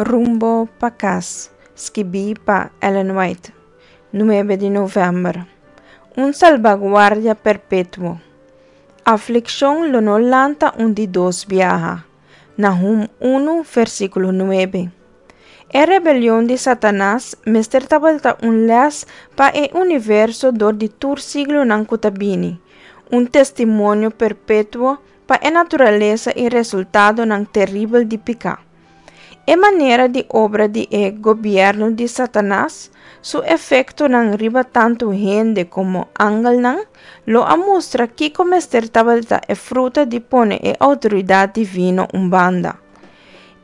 Rumbo pa Kas, skibí pa Ellen White, nuebe di novèmber. Un salbaguardia perpetuo. Aflikshon lo no lanta un di dos biaha. Nahum unu, versíkulo nuebe. E rebelion di Satanas mester tabata un lès pa e universo dor di tur siglonan ku ta bini, un testimonio perpetuo pa e naturalesa i resultadonan teribel di piká. E manera di obra di e gobièrnu di Satanas, su efektonan riba tantu hende komo angelnan, lo a mustra kiko mester tabata e fruta di pone e outoridat divino un banda.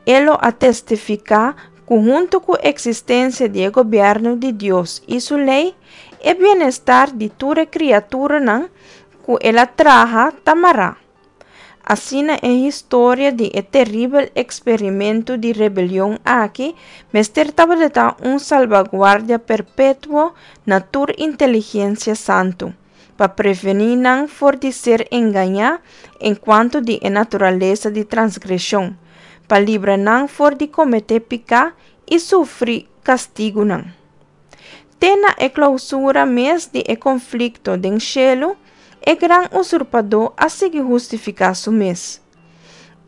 E lo a testifiká ku huntu ku eksistensia di e gobièrnu di Dios i su lei, e bienestar di tur e kriaturanan ku el a traha ta mará. Asina e historia di e teribel eksperimentu di rebelion aki mester tabata un salbaguardia perpetuo na tur inteligensia santu, pa prevení nan for di ser engañá enkuanto di e naturalesa di transgreshon, pa libra nan for di kometé piká i sufri kastigunan. Te na e klousura mes di e konflikto den shelu, e gran usurpadó a sigui hustifiká su mes.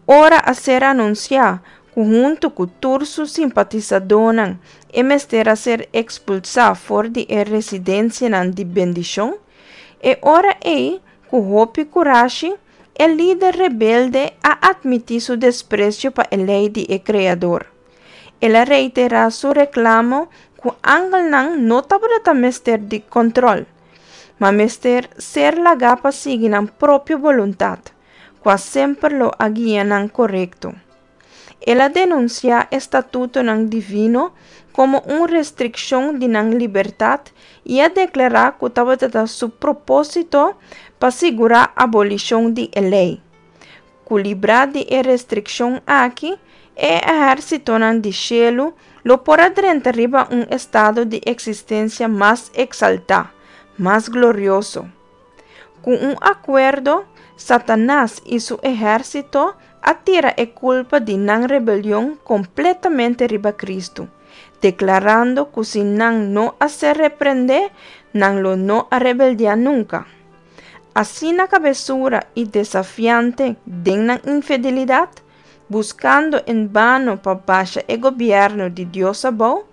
Ora a ser anunsiá ku huntu ku tur su simpatisadónan e mester a ser ekspulsá for di e residensianan di bendishon, e ora ei, ku hopi kurashi, e lider rebelde a atmití su despresio pa e lei di e Kreador. El a reiterá su reklamo ku angelnan no tabata mester di kòntròl, ma mester ser lagá pa sigui nan propio boluntat, kua semper lo a guia nan korekto. El a denunsiá e statutonan divino komo un restrikshon di nan libertat i a deklará ku tabata su propósito pa sigurá abolishon di e lei. Ku librá di e restrikshon aki, e ehérsitonan di shelu lo por a drenta riba un estado di eksistensia mas eksaltá, mas glorioso. Ku un akuerdo, Satanas i su ehérsito a tira e kulpa di nan rebelion kompletamente riba Kristu, deklarando ku si nan no a ser reprendé, nan lo no a rebeldiá nunka. Asina kabesura i desafiante den nan infidelidat, buskando en bano pa basha e gobièrnu di Dios abou,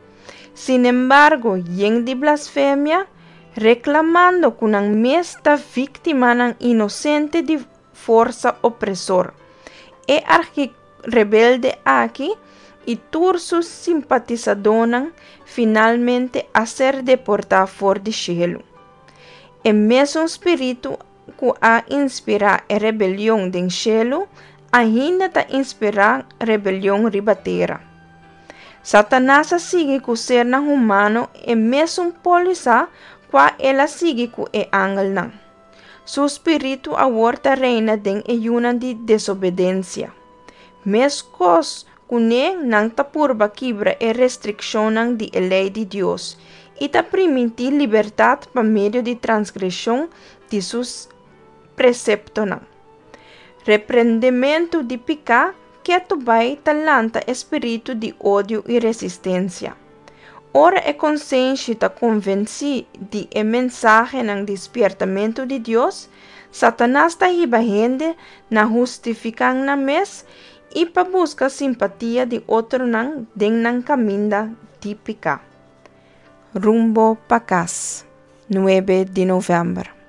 sinembargo yen di blasfemia, reklamando ku nan mes ta víktimanan inosente di forsa opresor. E archirebelde aki i tur su simpatisadónan finalmente a ser deportá for di shelu. E mesun spiritu ku a inspirá e rebelion den shelu ainda ta inspirá rebelion riba tera. Satanas a sigui ku sernan humano e mesun pólisa kua el a sigui ku e angelnan. Su spiritu awor ta reina den e yunan di desobedensia. Meskos kuné nan ta purba kibra e restrikshonnan di e lei di Dios i ta primintí libertat pa medio di transgreshon di su preseptonan. Reprendementu di piká ketu bai ta lanta e spiritu di odio i resistensia. Ora e konsenshi ta konvensí di e mensahenan di spiertamentu di Dios, Satanas ta hiba hende na hustifiká nan mes i pa buska simpatia di otronan den nan kaminda di piká. Rumbo pa kas, nuebe di novèmber.